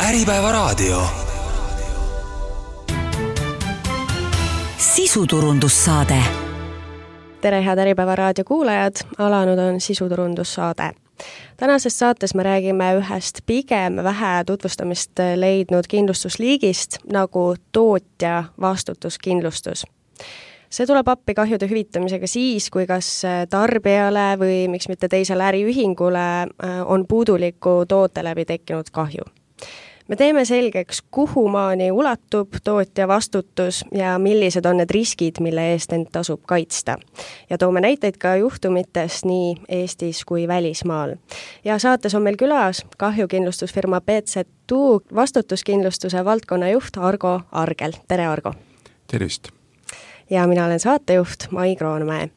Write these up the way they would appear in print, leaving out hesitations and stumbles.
Äripäevaraadio. Sisuturundussaade. Tere, head Äripäevaraadio kuulajad, alanud on sisuturundussaade. Tänases saates me räägime ühest pigem vähe tutvustamist leidnud kindlustusliigist nagu tootja vastutuskindlustus. See tuleb appi kahjude hüvitamisega siis, kui kas tarbijale või miks mitte teisele äriühingule on puuduliku toote läbi tekkinud kahju. Me teeme selgeks, kuhu maani ulatub tootja vastutus ja millised on need riskid, mille eest end tasub kaitsta. Ja toome näiteid ka juhtumitest nii Eestis kui välismaal. Ja saates on meil külas kahjukindlustusfirma BZ2 vastutuskindlustuse valdkonnajuht Argo Argel. Tere, Argo! Tervist! Ja mina olen saatejuht Mai Kroonmäe.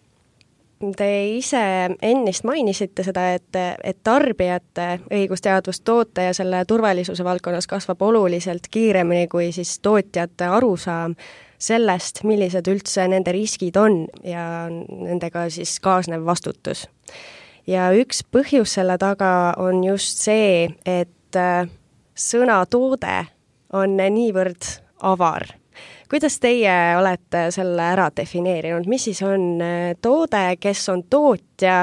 Te ise ennist mainisite seda, et tarbijate õigusteadvus toote ja selle turvalisuse valdkonnas kasvab oluliselt kiiremini kui siis tootjate arusaam sellest, millised üldse nende riskid on ja nendega siis kaasnev vastutus. Ja üks põhjus selle taga on just see, et sõna toode on niivõrd avar. Kuidas teie olete selle ära defineerinud? Mis siis on toode, kes on tootja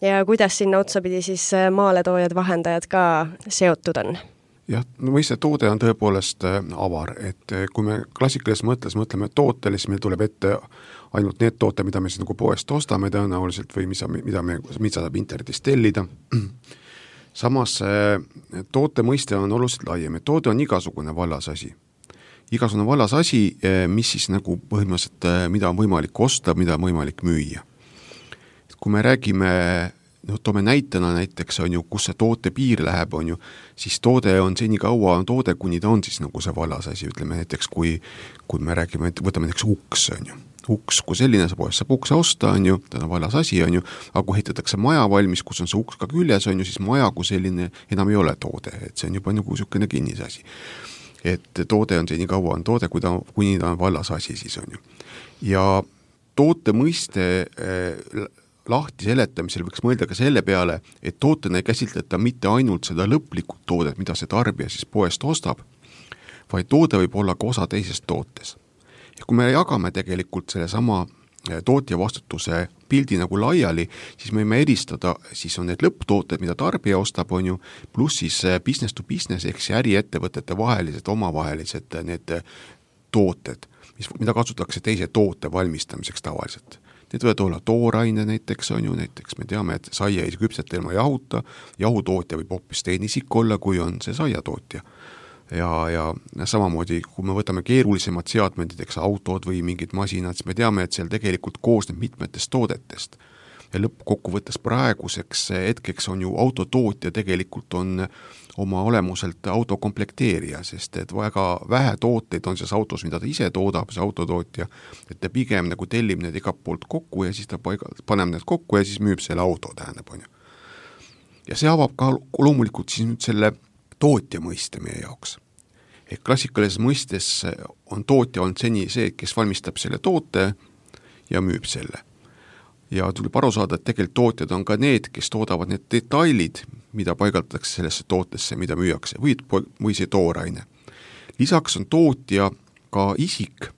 ja kuidas sinna otsapidi siis maaletoojad, vahendajad ka seotud on? Jah, mõiste toode on tõepoolest avar, et kui me klassikalises mõttes mõtleme tootele, siis meil tuleb ette ainult need toote, mida me siis nagu poest ostame tõenäoliselt või mida saab internetist tellida. Samas toote mõiste on oluliselt laiem, et toode on igasugune vallasasi. Igasugune vallas asi, mis siis nagu põhimõtteliselt, mida on võimalik osta, mida on võimalik müüa. Kui me räägime, toome näitena näiteks, on ju, kus see toote piir läheb, on ju, siis toode on seni kaua on toode, kuni ta on siis nagu see vallas asi, ütleme näiteks, kui me räägime, võtame näiteks uks, on ju. Uks, kui selline saab ukse osta, on ju, ta on vallas asi, on ju, aga kui ehitatakse maja valmis, kus on see uks ka küljes, on ju, siis maja kui selline enam ei ole toode, et see on juba nagu niisugune kinnis asi. Et toode on see nii kaua on toode, kuni ta on vallas asi siis on ju. Ja toote mõiste lahti seletamisel võiks mõelda ka selle peale, et tootena ei käsitleta mitte ainult seda lõplikult toodet, mida see tarbija siis poest ostab, vaid toode võib olla ka osa teisest tootes. Ja kui me jagame tegelikult selle sama tootja vastutuse pildi nagu laiali, siis me võime eristada, siis on need lõpptooted, mida tarbija ostab, on ju, pluss siis business to business, ehk see äriettevõtete vahelised, omavahelised need tooted, mida kasutatakse teise toote valmistamiseks tavaliselt. Need võivad olla tooraine näiteks, on ju, näiteks me teame, et saia ei küpseta ilma jahuta, jahutootja võib hoopis teine isik olla, kui on see saiatootja. Ja samamoodi, kui me võtame keerulisemad seadmed, näiteks autod või mingid masinad, siis me teame, et seal tegelikult koosneb mitmetest toodetest. Ja lõppkokkuvõttes praeguseks hetkeks on ju autotootja tegelikult on oma olemuselt autokomplekteerija, sest et väga vähe tooteid on selles autos, mida ta ise toodab, see autotootja, et ta pigem nagu tellib need igalt poolt kokku ja siis ta paneb need kokku ja siis müüb selle auto, tähendab, on ju. Ja see avab ka loomulikult siis nüüd selle tootja mõiste meie jaoks. Et klassikalises mõistes on tootja olnud seni see, kes valmistab selle toote ja müüb selle. Ja tuleb aru saada, et tegelikult tootjad on ka need, kes toodavad need detailid, mida paigaldatakse sellesse tootesse, mida müüakse, või see tooraine. Lisaks on tootja ka isik,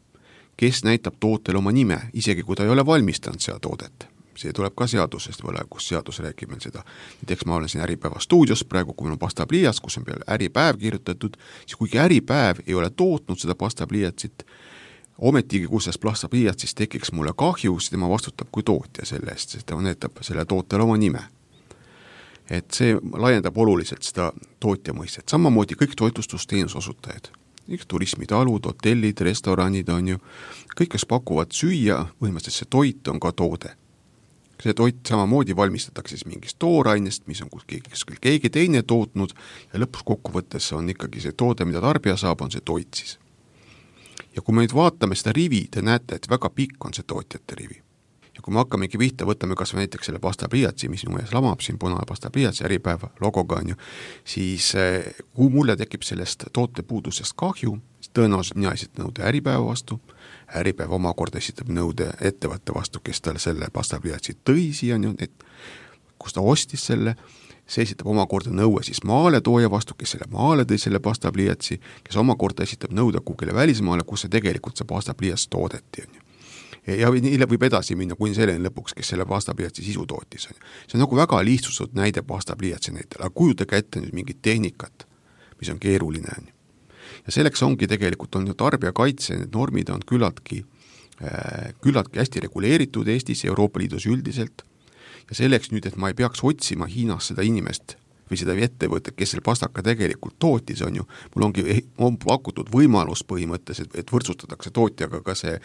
kes näitab tootele oma nime, isegi kui ta ei ole valmistanud seda toodet. See tuleb ka seadusest võle, kus seadus räägib meil seda. Näiteks ma olen siin Äripäeva stuudios praegu, kui meil on pastapliiats, kus on peale Äripäev kirjutatud, siis kuigi Äripäev ei ole tootnud seda pastapliiatsit, ometigi, kus selles pastapliiatsis tekiks mulle kahju, siis tema vastutab kui tootja selle eest, sest ta näitab selle tootele oma nime. Et see laiendab oluliselt seda tootja mõistet. Samamoodi kõik toitlustusteenusosutajad, turismitalud, hotellid, restoranid on ju, kõik, kes pakuvad süüa, põhimõtteliselt see toit on ka toode. See toit samamoodi valmistatakse siis mingist toorainest, mis on keegi teine tootnud ja lõpus kokkuvõttes on ikkagi see toode, mida tarbija saab, on see toit siis. Ja kui me nüüd vaatame seda rivi, te näete, et väga pikk on see tootjate rivi. Ja kui me hakkamegi pihta, võtame kas või näiteks selle pastapliiatsi, mis minu ees lamab siin punane pastapliiatsi Äripäeva logoga on ju, siis kui mulle tekib sellest toote puudusest kahju, siis tõenäoliselt mina esitan nõude Äripäeva vastu, Äripäev omakorda esitab nõude ettevõtte vastu, kes tal selle pastapliiatsi tõi siia, kus ta ostis selle, see esitab omakorda nõue siis maaletooja vastu, kes selle maale tõi selle pastapliiatsi, kes omakorda esitab nõude kuhugile välismaale, kus see tegelikult see pastapliiats toodeti, on ju. Ja nii võib edasi minna kuni selleni lõpuks, kes selle pastapliiatsi sisu tootis. See on nagu väga lihtsustatud näide pastapliiatsi näitel, aga kujutage ette nüüd mingit tehnikat, mis on keeruline. Ja selleks ongi tegelikult on tarbijakaitse, need normid on küllaltki hästi reguleeritud Eestis ja Euroopa Liidus üldiselt. Ja selleks nüüd, et ma ei peaks otsima Hiinas seda inimest või seda ettevõtet, kes selle pastaka tegelikult tootis, on ju, mul on pakutud võimalus põhimõttes, et võrdsustatakse tootjaga ka see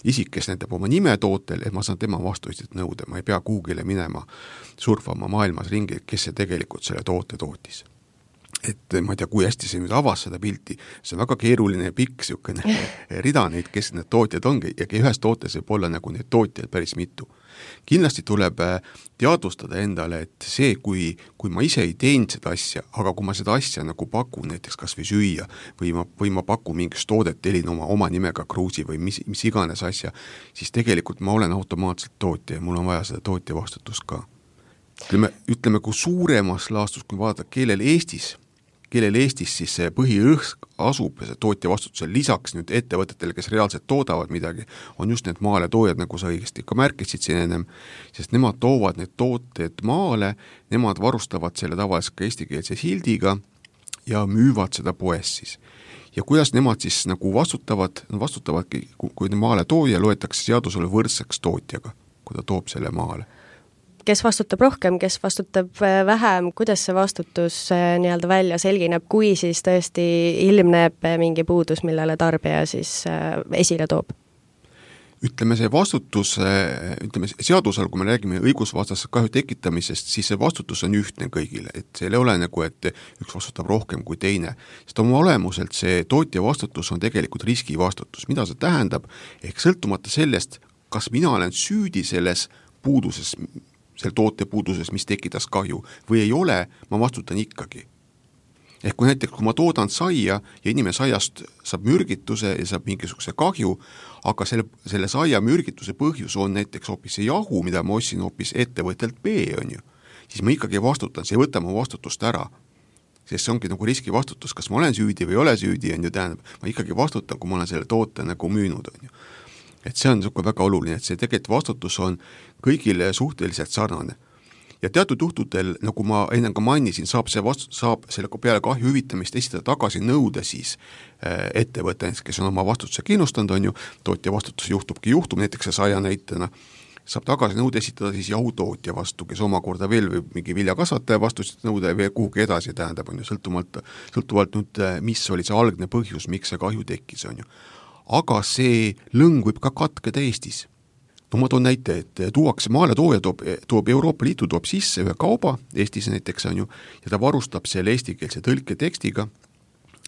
isik, kes näitab oma nime tootel, et ma saan tema vastuiselt nõude, ma ei pea kuhugile minema surfama maailmas ringi, kes see tegelikult selle toote tootis. Et ma ei tea, kui hästi see nüüd avas seda pilti, see on väga keeruline ja pikk siukene rida neid, kes need tootjad ongi ja ühes tootes võib olla nagu neid tootjaid päris mitu. Kindlasti tuleb teadvustada endale, et see, kui ma ise ei teinud seda asja, aga kui ma seda asja nagu pakun näiteks kas või süüa või ma pakun mingist toodet, telin oma nimega kruusi või mis iganes asja, siis tegelikult ma olen automaatselt tootja ja mul on vaja seda tootja vastutust ka. Ütleme, kui suuremas laastus, kui vaadata, kellel Eestis siis see põhirõhk asub ja see tootja vastutusel lisaks nüüd ettevõtetele, kes reaalselt toodavad midagi, on just need maaletoojad, nagu sa õigesti ka märkisid siin ennem, sest nemad toovad need tooted maale, nemad varustavad selle tavaliselt ka eestikeelse sildiga ja müüvad seda poes siis. Ja kuidas nemad siis nagu vastutavadki, kui maaletooja loetakse seadusele võrdseks tootjaga, kui ta toob selle maale. Kes vastutab rohkem, kes vastutab vähem, kuidas see vastutus nii-öelda välja selgineb, kui siis tõesti ilmneb mingi puudus, millele tarbija siis esile toob? Ütleme, see vastutus, seadusel, kui me räägime õigusvastase kahju tekitamisest, siis see vastutus on ühtne kõigile, et see ei ole nagu, et üks vastutab rohkem kui teine. Sest oma olemuselt see tootja vastutus on tegelikult riskivastutus. Mida see tähendab? Ehk sõltumata sellest, kas mina olen süüdi selles puuduses, selle toote puuduses, mis tekitas kahju, või ei ole, ma vastutan ikkagi. Ehk kui näiteks, kui ma toodan saia ja inimene saiast saab mürgituse ja saab mingisuguse kahju, aga selle saia mürgituse põhjus on näiteks hoopis see jahu, mida ma ostsin hoopis ettevõttelt B, on ju, siis ma ikkagi vastutan, see ei võta mu vastutust ära. Sest see ongi nagu riskivastutus, kas ma olen süüdi või ei ole süüdi, on ju, tähendab, ma ikkagi vastutan, kui ma olen selle toote nagu müünud, on ju. Et see on väga oluline, et see tegelikult vastutus on kõigile suhteliselt sarnane. Ja teatud juhtudel, nagu ma enne ka mainisin, saab selle peale kahju hüvitamist esitada tagasi nõude siis ettevõte, kes on oma vastutuse kindlustanud, on ju, tootja vastutus juhtub, näiteks see saia näitena, saab tagasi nõude esitada siis jahutootja vastu, kes omakorda veel või mingi viljakasvataja vastu nõude veel kuhugi edasi tähendab, on ju, sõltuvalt nüüd, mis oli see algne põhjus, miks see kahju tekkis, on ju. Aga see lõng võib ka katkeda Eestis. No ma toon näite, et maaletooja toob Euroopa Liitu toob sisse ühe kauba, Eestis näiteks on ju, ja ta varustab selle eestikeelse tõlketekstiga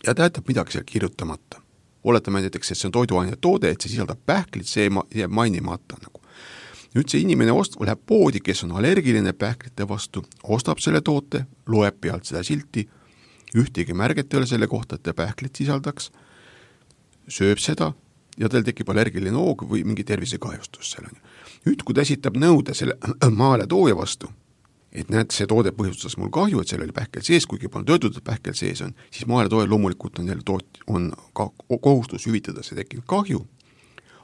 ja ta jätab midagi seal kirjutamata. Oletame näiteks, et see on toiduaine toode, et see sisaldab pähklit, see jääb mainimata nagu. Nüüd see inimene läheb poodi, kes on allergiline pähklite vastu, ostab selle toote, loeb pealt seda silti, ühtegi märget ei ole selle kohta, et ta pähklit sisaldaks, sööb seda ja tal tekib allergiline hoog või mingi tervisekahjustus seal on. Nüüd, kui ta esitab nõude selle maaletooja vastu, et näed, see toode põhjustas mul kahju, et seal oli pähkel sees, kuigi polnud öeldud, et pähkel sees on, siis maaletooja loomulikult on ka kohustus hüvitada see tekkinud kahju,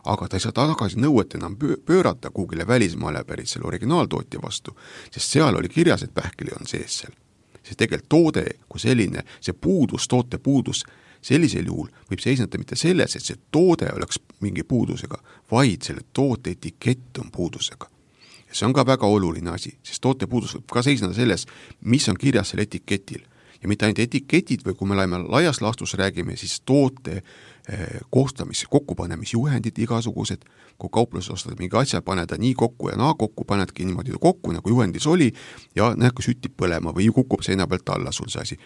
aga ta ei saa tagasi nõuet enam pöörata kuhugile välismaale pärit selle originaaltootja vastu, sest seal oli kirjas, et pähkel on sees seal. See tegelikult toode kui selline, see toote puudus, sellisel juhul võib seisneda mitte selles, et see toode oleks mingi puudusega, vaid selle toote etikett on puudusega. Ja see on ka väga oluline asi, sest toote puudus võib ka seisneda selles, mis on kirjas selle etiketil. Ja mitte ainult etiketid või kui me laias laastus räägime, siis toote kokkupanemisjuhendid igasugused, kui kaupluses ostad mingi asja, paned nii kokku ja naa kokku, panedki niimoodi kokku, nagu juhendis oli, ja näed, kui sütib põlema või kukub seina pealt alla sul see asi.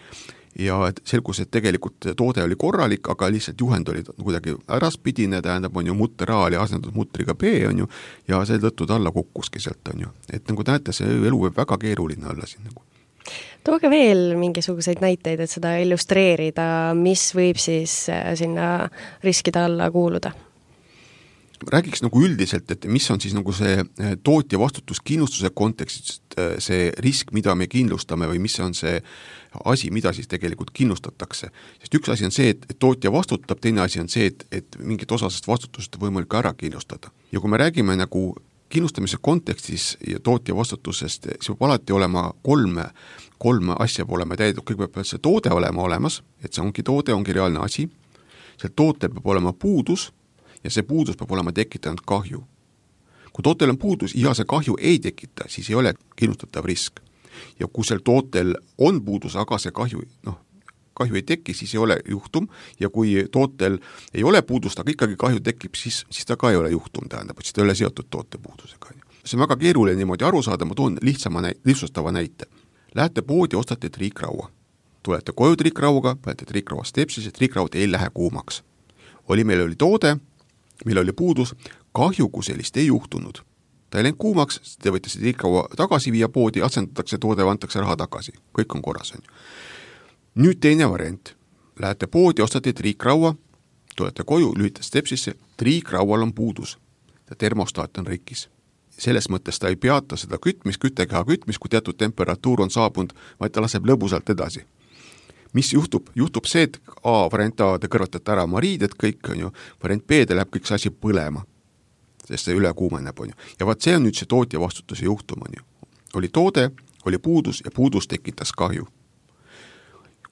Ja selgus, et tegelikult toode oli korralik, aga lihtsalt juhend oli kuidagi äraspidine, tähendab, on ju mutter A oli asendatud mutriga B, on ju, ja see tõttu alla kukkuski sealt, on ju. Et nagu näete, see elu võib väga keeruline olla siin nagu. Tooge veel mingisuguseid näiteid, et seda illustreerida, mis võib siis sinna riskide alla kuuluda? räägiks nagu üldiselt, et mis on siis nagu see tootja vastutuskindlustuse kontekstist see risk, mida me kindlustame või mis on see asi, mida siis tegelikult kindlustatakse. Sest üks asi on see, et tootja vastutab, teine asi on see, et mingit osasest vastutust on võimalik ära kindlustada. Ja kui me räägime nagu kindlustamise kontekstis ja tootja vastutusest, siis peab alati olema kolme asja olema täidetud. Kõigepealt peab see toode olema olemas, et see ongi toode, ongi reaalne asi. See tootel peab olema puudus ja see puudus peab olema tekitanud kahju. Kui tootel on puudus ja see kahju ei tekita, siis ei ole kindlustatav risk. Ja kui sel tootel on puudus, aga see kahju ei teki, siis ei ole juhtum, ja kui tootel ei ole puudust, aga ikkagi kahju tekib, siis ta ka ei ole juhtum, tähendab, et siis ta ei ole seotud toote puudusega. See on väga keeruline niimoodi aru saada, ma toon lihtsustava näite. Lähete poodi, ostate triikraua. Tulete koju triikrauaga, panete triikraua stepsisse, triikraud ei lähe kuumaks. Meil oli toode, meil oli puudus, kahju kui sellist ei juhtunud. Ta ei läinud kuumaks, te võite see triikraua tagasi viia poodi, asendatakse toode, antakse raha tagasi. Kõik on korras. Nüüd teine variant. Lähete poodi, ostate triikraua, tulete koju, lühite stepsisse, triikraual on puudus. Termostaat on rikkis. Selles mõttes ta ei peata seda küttekeha kütmist, kui teatud temperatuur on saabunud, vaid ta laseb lõbusalt edasi. Mis juhtub? Juhtub see, et variant A, te kõrvatate ära mariided kõik, on ju, variant B, te läheb kõik see asi põlema, sest see üle kuumeneb, on ju. Ja vaat see on nüüd see tootja vastutuse juhtum, on ju. Oli toode, oli puudus ja puudus tekitas kahju.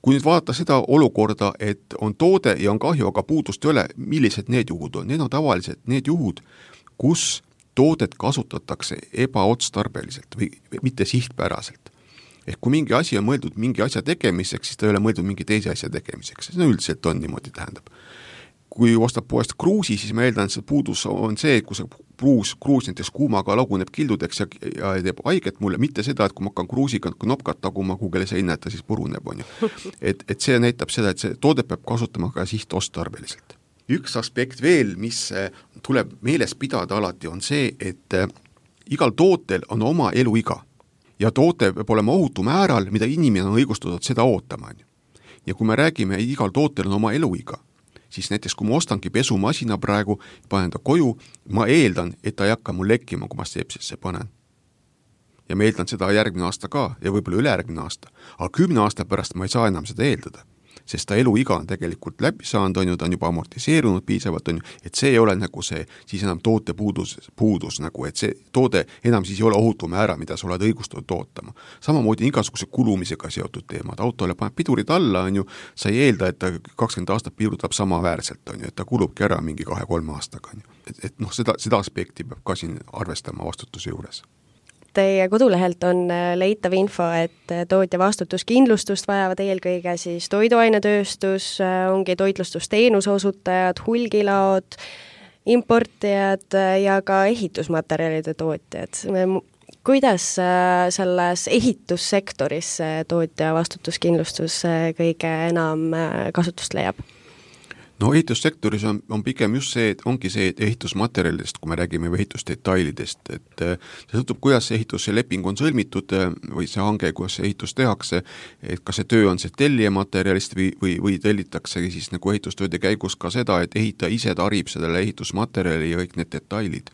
Kui nüüd vaadata seda olukorda, et on toode ja on kahju, aga puudust ei ole, millised need juhud on? Need on tavaliselt need juhud, kus toodet kasutatakse ebaotstarbeliselt või mitte sihtpäraselt. Ehk kui mingi asi on mõeldud mingi asja tegemiseks, siis ta ei ole mõeldud mingi teise asja tegemiseks. See üldiselt on niimoodi, tähendab. Kui ostab poest kruusi, siis ma eeldan, et see puudus on see, kui see kruus näiteks kuumaga laguneb kildudeks ja teeb haiget mulle, mitte seda, et kui ma hakkan kruusiga nopkat taguma, kugele see hinnata, siis puruneb, on ju. Et see näitab seda, et see toode peab kasutama ka sihtostarbeliselt. Üks aspekt veel, mis tuleb meeles pidada alati, on see, et igal tootel on oma eluiga ja toote peab olema ohutu määral, mida inimene on õigustatud seda ootama. Ja kui me räägime, igal tootel on oma eluiga, siis näiteks kui ma ostangi pesumasina praegu, panen ta koju, ma eeldan, et ta ei hakka mul lekkima, kui ma stepsisse panen. Ja ma eeldan seda järgmine aasta ka ja võib-olla ülejärgmine aasta. Aga 10 aasta pärast ma ei saa enam seda eeldada, sest ta eluiga on tegelikult läbi saanud, on ju, ta on juba amortiseerunud piisavalt, on ju, et see ei ole nagu see, siis enam toote puudus nagu, et see toode enam siis ei ole ohutu määra, mida sa oled õigustatud tootama. Samamoodi igasuguse kulumisega seotud teemad, autole paneb pidurid alla, on ju, sa ei eelda, et ta 20 aastat pidutab samaväärselt, on ju, et ta kulubki ära mingi 2-3 aastaga, on ju. Et seda aspekti peab ka siin arvestama vastutuse juures. Teie kodulehelt on leitav info, et tootja vastutuskindlustust vajavad eelkõige siis toiduainetööstus, ongi toitlustusteenuse osutajad, hulgilaod, importijad ja ka ehitusmaterjalide tootjad. Kuidas selles ehitussektoris tootja vastutuskindlustus kõige enam kasutust leiab? No ehitussektoris on pigem just see, et ongi see ehitusmaterjalidest, kui me räägime ehitusdetailidest, et see sõltub, kuidas see ehitusleping on sõlmitud või see hange, kuidas see ehitus tehakse, et kas see töö on see tellijamaterjalist või tellitakse siis nagu ehitustööde käigus ka seda, et ehitaja ise tarib sellele ehitusmaterjali ja kõik need detailid.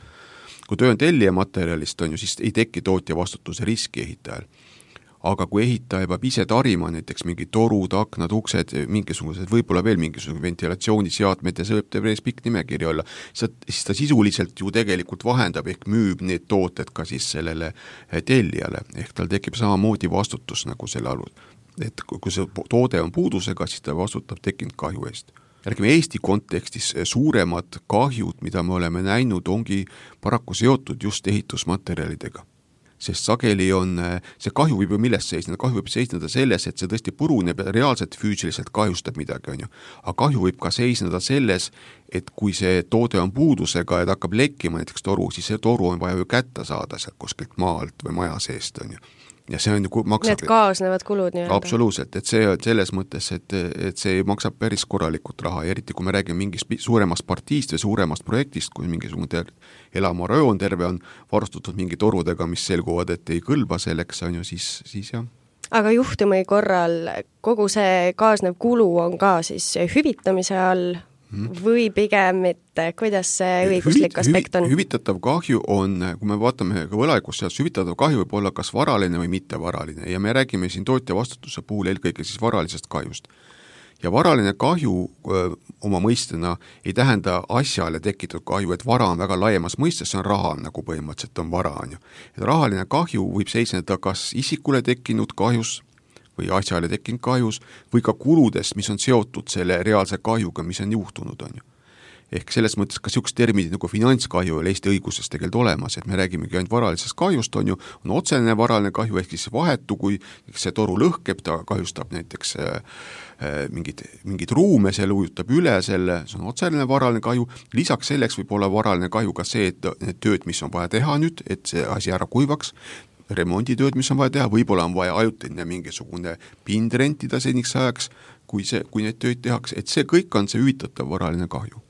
Kui töö on tellijamaterjalist, on ju, siis ei teki tootja vastutuse riski ehitajal. Aga kui ehitaja peab ise tarima näiteks mingi torud, aknad, uksed, mingisugused, võib-olla veel mingisugused ventilatsiooniseadmed ja see võib teeb pikk nimekiri olla, siis ta sisuliselt ju tegelikult vahendab ehk müüb need tooted ka siis sellele tellijale, ehk tal tekib samamoodi vastutus nagu selle alus. Et kui see toode on puudusega, siis ta vastutab tekkinud kahju eest. Räägime Eesti kontekstis suuremad kahjud, mida me oleme näinud, ongi paraku seotud just ehitusmaterjalidega. Sest sageli on, see kahju võib ju millest seisneda, kahju võib seisneda selles, et see tõesti puruneb ja reaalselt füüsiliselt kahjustab midagi, on ju. Aga kahju võib ka seisneda selles, et kui see toode on puudusega ja ta hakkab lekkima näiteks toru, siis see toru on vaja ju kätte saada sealt kuskilt maalt või maja seest, on ju. Ja see on ju maksab... Need kaasnevad kulud nii-öelda. Absoluutselt, et see on selles mõttes, et see maksab päris korralikult raha, ja eriti kui me räägime mingist suuremast partiist või suuremast projektist, kui mingisugune elamarajoon terve on varustatud mingi torudega, mis selguvad, et ei kõlba selleks, on ju, siis jah. Aga juhtumi korral kogu see kaasnev kulu on ka siis hüvitamise all või pigem mitte, kuidas see õiguslik aspekt on? Hüvitatav kahju on, kui me vaatame ka võlaõigusseadust, hüvitatav kahju võib olla kas varaline või mittevaraline ja me räägime siin tootja vastutuse puhul eelkõige siis varalisest kahjust. Ja varaline kahju oma mõistena ei tähenda asjale tekitatud kahju, et vara on väga laiemas mõistes, see on raha, nagu põhimõtteliselt on vara, on ju. Et rahaline kahju võib seisneda kas isikule tekkinud kahjus või asjale tekkinud kahjus või ka kuludest, mis on seotud selle reaalse kahjuga, mis on juhtunud, on ju. Ehk selles mõttes ka niisugused terminid nagu finantskahju oli Eesti õiguses tegelikult olemas, et me räägimegi ainult varalisest kahjust, on ju, on otsene varaline kahju, ehk siis vahetu, kui see toru lõhkeb, ta kahjustab näiteks mingid ruume, see ujutab üle selle, see on otsene varaline kahju, lisaks selleks võib olla varaline kahju ka see, et need tööd, mis on vaja teha nüüd, et see asi ära kuivaks, remonditööd, mis on vaja teha, võib-olla on vaja ajutine mingisugune pind rentida seniks ajaks, kui need tööd tehakse, et see kõik on see hüvitatav varaline kahju.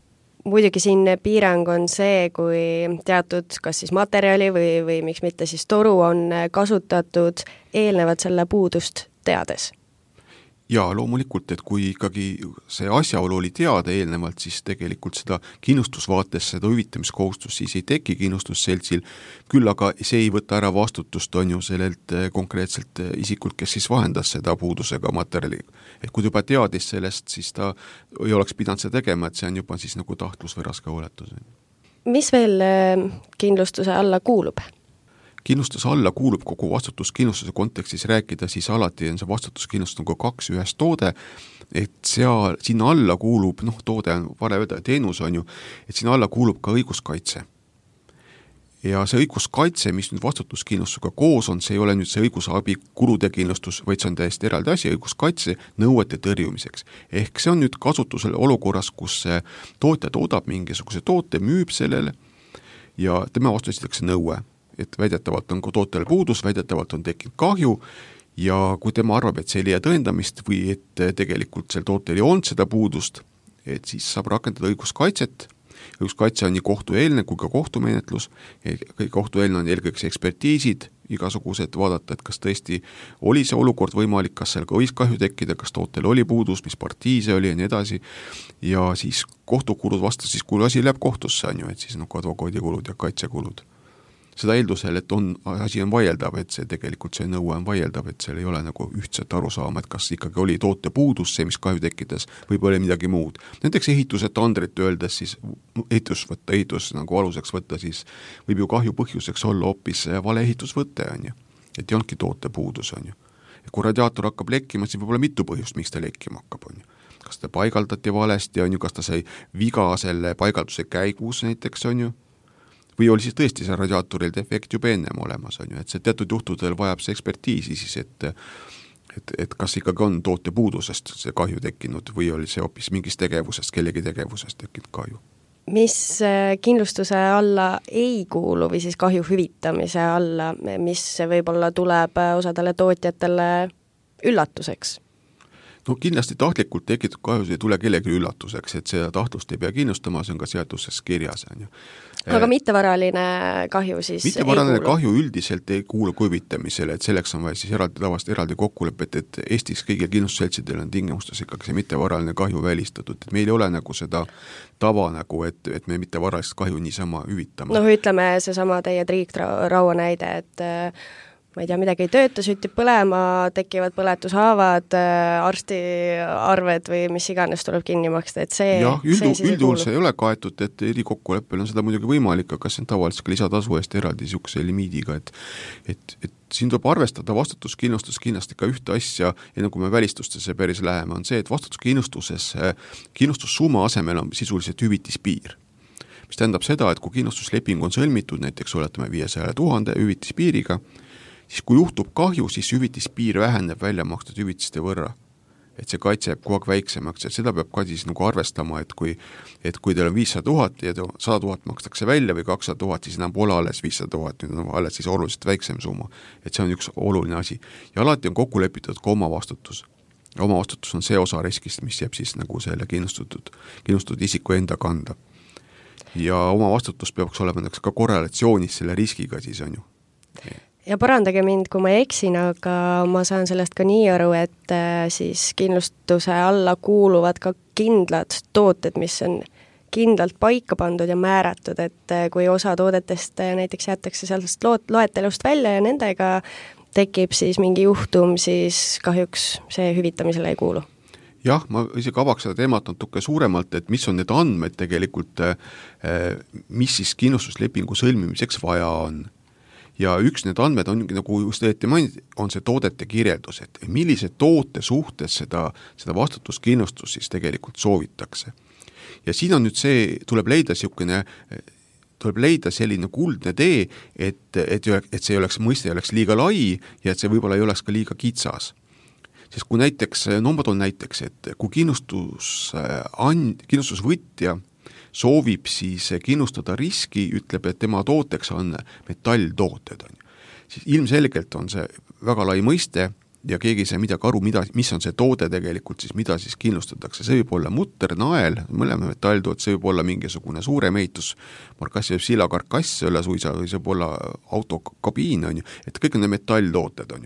Muidugi siin piirang on see, kui teatud kas siis materjali või miks mitte siis toru on kasutatud eelnevalt selle puudust teades. Jaa, loomulikult, et kui ikkagi see asjaolu oli teada eelnevalt, siis tegelikult seda kindlustusvaates, seda hüvitamiskohustust siis ei teki kindlustusseltsil, küll aga see ei võta ära vastutust, on ju sellelt konkreetselt isikult, kes siis vahendas seda puudusega materjali. Et kui juba teadis sellest, siis ta ei oleks pidanud seda tegema, et see on juba siis nagu tahtlus või raske hooletus. Mis veel kindlustuse alla kuulub? Kindlustuse alla kuulub kogu vastutuskindlustuse kontekstis rääkida, siis alati on see vastutuskindlustus nagu 2 ühes toode, et sinna alla kuulub, toode on vale öelda, teenus on ju, et sinna alla kuulub ka õiguskaitse. Ja see õiguskaitse, mis nüüd vastutuskindlustusega koos on, see ei ole nüüd see õigusabi kulude kindlustus, vaid see on täiesti eraldi asi, õiguskaitse nõuete tõrjumiseks. Ehk see on nüüd kasutusel olukorras, kus tootja toodab mingisuguse toote, müüb sellele ja tema vastu esitatakse nõue, et väidetavalt on tootele puudus, väidetavalt on tekkinud kahju ja kui tema arvab, et see ei leia tõendamist või et tegelikult sel tootel ei olnud seda puudust, et siis saab rakendada õiguskaitset. Õiguskaitse on nii kohtueelne kui ka kohtumenetlus. Kohtueelne on eelkõige ekspertiisid, igasugused vaadata, et kas tõesti oli see olukord võimalik, kas seal ka võis kahju tekkida, kas tootel oli puudus, mis partii see oli ja nii edasi. Ja siis kohtukulud vastas, siis kui asi läheb kohtusse, on ju, et siis advokaadikulud ja kaitsekulud. Seda eeldusel, et asi on vaieldav, et see tegelikult see nõue on vaieldav, et seal ei ole nagu ühtset arusaama, et kas ikkagi oli toote puudus, see, mis kahju tekkides, võib olla midagi muud. Näiteks ehituse tandrit öeldes siis ehitus nagu aluseks võtta, siis võib ju kahju põhjuseks olla hoopis vale ehitusvõte, on ju. Et ei olnudki toote puudus, on ju. Ja kui radiaator hakkab lekkima, siis võib olla mitu põhjust, miks ta lekkima hakkab, on ju. Kas ta paigaldati valesti, on ju, kas ta sai viga selle paigalduse käigus näiteks, on ju. Või oli siis tõesti see radiaatoril defekt juba ennem olemas, on ju, et see teatud juhtudel vajab see ekspertiisi siis, et kas ikkagi on toote puudusest see kahju tekkinud või oli see hoopis mingist tegevusest, kellegi tegevusest tekkinud kahju. Mis kindlustuse alla ei kuulu või siis kahju hüvitamise alla, mis võib-olla tuleb osadele tootjatele üllatuseks? No kindlasti tahtlikult tekitud kahjus ei tule kellegi üllatuseks, et seda tahtlust ei pea kindlustama, see on ka seaduses kirjas. On ju. Aga mittevaraline kahju siis mittevaraline kahju üldiselt ei kuulu hüvitamisele, et selleks on vaja siis eraldi kokkulepet, et Eestis kõigil kindlustusseltsidel on tingimustes ikkagi see mittevaraline kahju välistatud, et meil ei ole nagu seda tava nagu, et me mittevaralist kahju niisama hüvitame. Ütleme seesama teie triikraua näide, et ma ei tea, midagi ei tööta, süttib põlema, tekivad põletushaavad, arstiarved või mis iganes tuleb kinni maksta, et see üldjuhul see ei ole kaetud, et erikokkuleppel on seda muidugi võimalik, aga see on tavaliselt ka lisatasu eest eraldi niisuguse limiidiga, et siin tuleb arvestada vastutuskindlustus kindlasti ka ühte asja, ja nagu me välistustesse päris läheme, on see, et vastutuskindlustuses kindlustussumma asemel on sisuliselt hüvitispiir. Mis tähendab seda, et kui kindlustusleping on sõlmitud, näiteks oletame 500 000 hüvitispiiriga, siis kui juhtub kahju, siis hüvitispiir väheneb välja makstud hüvitiste võrra. Et see kaitse jääb kogu aeg väiksemaks, et seda peab ka siis nagu arvestama, et kui teil on 500 000 ja 100 000 makstakse välja või 200 000, siis enam pole alles 500 000, nüüd on alles siis oluliselt väiksem summa. Et see on üks oluline asi. Ja alati on kokku lepitud ka omavastutus. Omavastutus on see osa riskist, mis jääb siis nagu selle kindlustatud isiku enda kanda. Ja omavastutus peaks olema ka korrelatsioonis selle riskiga siis on ju. Ja parandage mind, kui ma eksin, aga ma saan sellest ka nii aru, et siis kindlustuse alla kuuluvad ka kindlad tooted, mis on kindlalt paika pandud ja määratud, et kui osa toodetest näiteks jätakse sellest loetelust välja ja nendega tekib siis mingi juhtum, siis kahjuks see hüvitamisele ei kuulu. Jah, ma isegi avaks seda teemat natuke suuremalt, et mis on need andmed tegelikult, mis siis kindlustuslepingu sõlmimiseks vaja on. Ja üks need andmed ongi, nagu just õieti mainid, on see toodete kirjeldus, et millise toote suhtes seda vastutuskindlustus siis tegelikult soovitakse. Ja siin on nüüd see, tuleb leida selline kuldne tee, et see mõiste ei oleks liiga lai ja et see võib-olla ei oleks ka liiga kitsas. Sest kui näiteks, ma toon näiteks, et kui kindlustusvõtja soovib siis kindlustada riski, ütleb, et tema tooteks on metalltooted, siis ilmselgelt on see väga lai mõiste ja keegi ei saa midagi aru, mis on see toode tegelikult, siis mida siis kindlustatakse. See võib olla mutter, nael, mõlema metalltoot, see võib olla mingisugune suurem ehitus, markassi võib silakarkass üle suisa, või see võib olla autokabiin, et kõik on need metalltooted.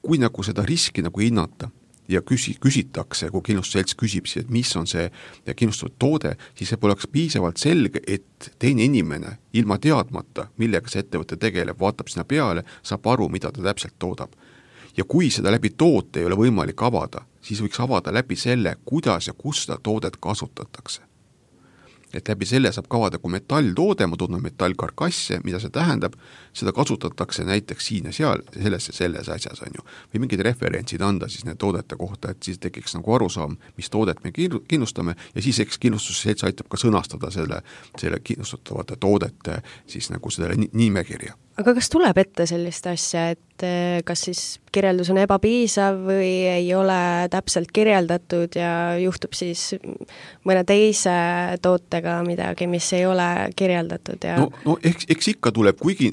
Kui nagu seda riski nagu hinnata ja küsitakse, kui kindlustusselts küsib, et mis on see kindlustatud toode, siis see poleks piisavalt selge, et teine inimene ilma teadmata, millega see ettevõte tegeleb, vaatab sinna peale, saab aru, mida ta täpselt toodab. Ja kui seda läbi toote ei ole võimalik avada, siis võiks avada läbi selle, kuidas ja kus seda toodet kasutatakse. Et läbi selle saab kavada, kui metalltoode, ma tunnen metallkarkasse, mida see tähendab, seda kasutatakse näiteks siin ja seal, selles asjas on ju. Või mingid referentsid anda siis need toodete kohta, et siis tekiks nagu arusaam, mis toodet me kindlustame ja siis eks kindlustusselts aitab ka sõnastada selle kindlustatavate toodete siis nagu selle nimekirja. Aga kas tuleb ette sellist asja, et kas siis kirjeldus on ebapiisav või ei ole täpselt kirjeldatud ja juhtub siis mõne teise tootega midagi, mis ei ole kirjeldatud? Ja... No eks ikka tuleb, kuigi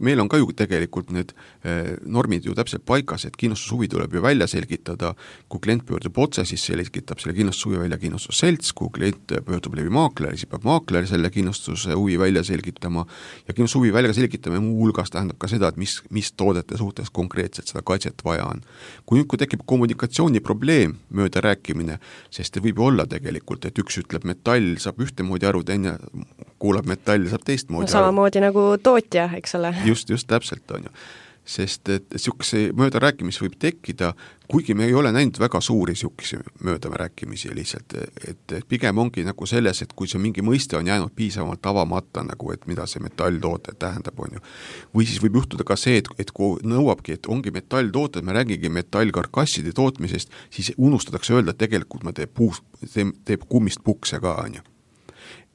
meil on ka ju tegelikult need normid ju täpselt paikas, et kindlustushuvi tuleb ju välja selgitada, kui klient pöördub otse, siis selgitab selle kindlustushuvi välja kindlustusselts, kui klient pöördub läbi maakleri, siis peab maakler selle kindlustushuvi välja selgitama ja kindlustushuvi välja selgitame muu hulgas tähendab ka seda, et mis toodete suhtes konkreetselt seda kaitset vaja on. Kui tekib kommunikatsiooniprobleem, mööda rääkimine, sest võib olla tegelikult, et üks ütleb metall saab ühtemoodi aru, teine kuulab metall saab teistmoodi aru. Samamoodi nagu tootja, eks ole. Just täpselt on ju. Sest et sihukese mööda rääkimisi võib tekkida, kuigi me ei ole näinud väga suuri sihukese mööda rääkimisi lihtsalt, et pigem ongi nagu selles, et kui see mingi mõiste on jäänud piisavalt avamata, nagu et mida see metalltoote tähendab, on ju. Või siis võib juhtuda ka see, et kui nõuabki, et ongi metalltooted, me räägigi metallkarkasside tootmisest, siis unustatakse öelda, et tegelikult teeb kummist pukse ka, on ju.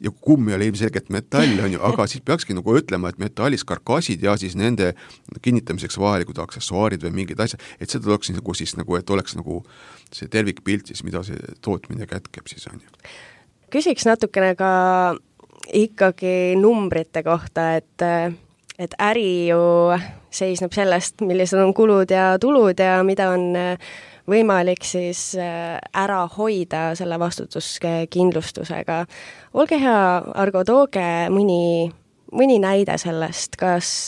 Ja kumm ei ole ilmselgelt metall, on ju, aga siis peakski nagu ütlema, et metallis karkassid ja siis nende kinnitamiseks vajalikud aksessuaarid või mingid asjad, et seda oleks nagu siis nagu, et oleks nagu see tervikpilt siis, mida see tootmine kätkeb siis, on ju. Küsiks natukene ka ikkagi numbrite kohta, et äri ju seisneb sellest, millised on kulud ja tulud ja mida on võimalik siis ära hoida selle vastutuskindlustusega. Olge hea, Argo, tooge mõni näide sellest, kas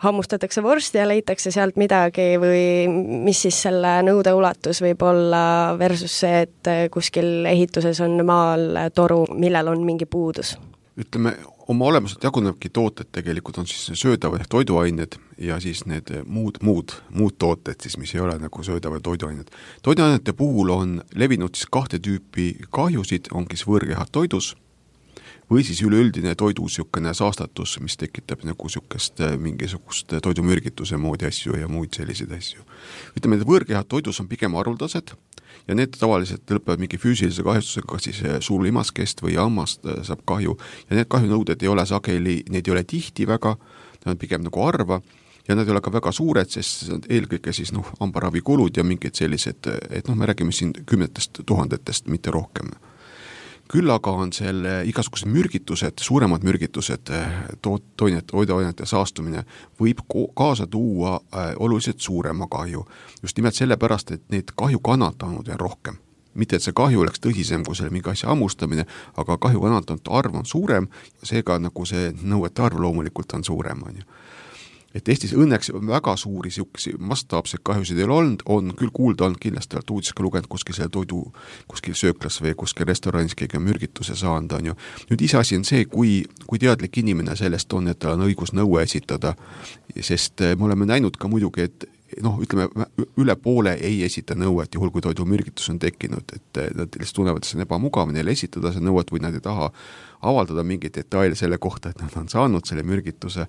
hammustatakse vorsti ja leitakse sealt midagi või mis siis selle nõude ulatus võib olla versus see, et kuskil ehituses on maal toru, millel on mingi puudus? Ütleme, oma olemuselt jagunevki tooted tegelikult on siis söödavad toiduained ja siis need muud tooted, siis, mis ei ole nagu söödavad toiduained. Toiduainete puhul on levinud siis 2 tüüpi kahjusid, ongi siis võõrkehad toidus või siis üleüldine toidu sihukene saastatus, mis tekitab nagu mingisugust toidumürgituse moodi asju ja muid selliseid asju. Ütleme, et võõrkehad toidus on pigem haruldased ja need tavaliselt lõpevad mingi füüsilise kahjustusega, siis suulimaskest või hammast saab kahju ja need kahjunõuded ei ole sageli, neid ei ole tihti väga, need on pigem nagu harva ja nad ei ole ka väga suured, sest eelkõige siis hambaravikulud ja mingid sellised, et me räägime siin 10 000, mitte rohkem. Küll aga on selle igasugused mürgitused, suuremad mürgitused, toiduainete saastumine võib kaasa tuua oluliselt suurema kahju. Just nimelt sellepärast, et neid kahju kannatanud on rohkem. Mitte, et see kahju oleks tõsisem kui selle mingi asja hammustamine, aga kahju kannatanud arv on suurem, seega nagu see nõuete arv loomulikult on suurem. On ju. et Eestis õnneks väga suuri siukesi mastaapseid kahjusid ei ole olnud, on küll kuulda olnud, kindlasti olete uudis ka lugenud kuskil selle toidu, kuskil sööklas või kuskil restoranis keegi on mürgituse saanud, on ju. Nüüd iseasi on see, kui teadlik inimene sellest on, et tal on õigus nõue esitada, sest me oleme näinud ka muidugi, et ütleme, üle poole ei esita nõuet, juhul kui toidu mürgitus on tekkinud, et nad lihtsalt tunnevad, et see on ebamugav neile esitada see nõuet või nad ei taha avaldada mingeid detaile selle kohta, et nad on saanud selle mürgituse.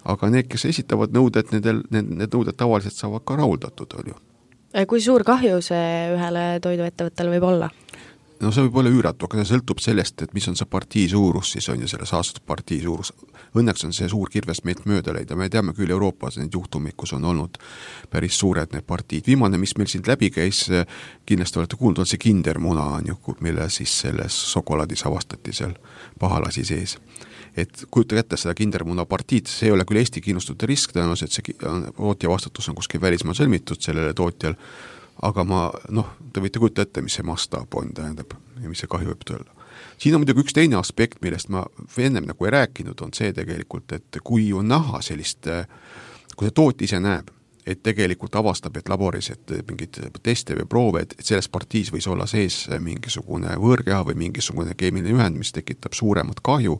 Aga need, kes esitavad nõuded, need nõuded tavaliselt saavad ka rahuldatud, on ju. Kui suur kahju see ühele toiduettevõttele võib olla? No see võib olla üüratu, aga see sõltub sellest, et mis on see partii suurus, siis on ju selle saastatud partii suurus. Õnneks on see suur kirvest meilt mööda leida, me teame küll Euroopas neid juhtumid, kus on olnud päris suured need partiid. Viimane, mis meil siin läbi käis, kindlasti olete kuulnud, on see kindermuna, on ju, mille siis selles šokolaadis avastati seal pahalasi sees. Et kujuta kätte seda kindermuna partiid, see ei ole küll Eesti kindlustute risk, tõenäoliselt see tootja vastutus on kuskil välismaa sõlmitud sellele tootjal, aga te võite kujuta ette, mis see mastaap on, tähendab, ja mis see kahju võib tõlla. Siin on muidugi üks teine aspekt, millest ma ennem nagu ei rääkinud, on see tegelikult, et kui on näha sellist, kui see toot ise näeb, et tegelikult avastab, et laboris, et mingid teste või proove, et selles partiis võis olla sees mingisugune võõrkeha või mingisugune keemiline ühend, mis tekitab suuremat kahju,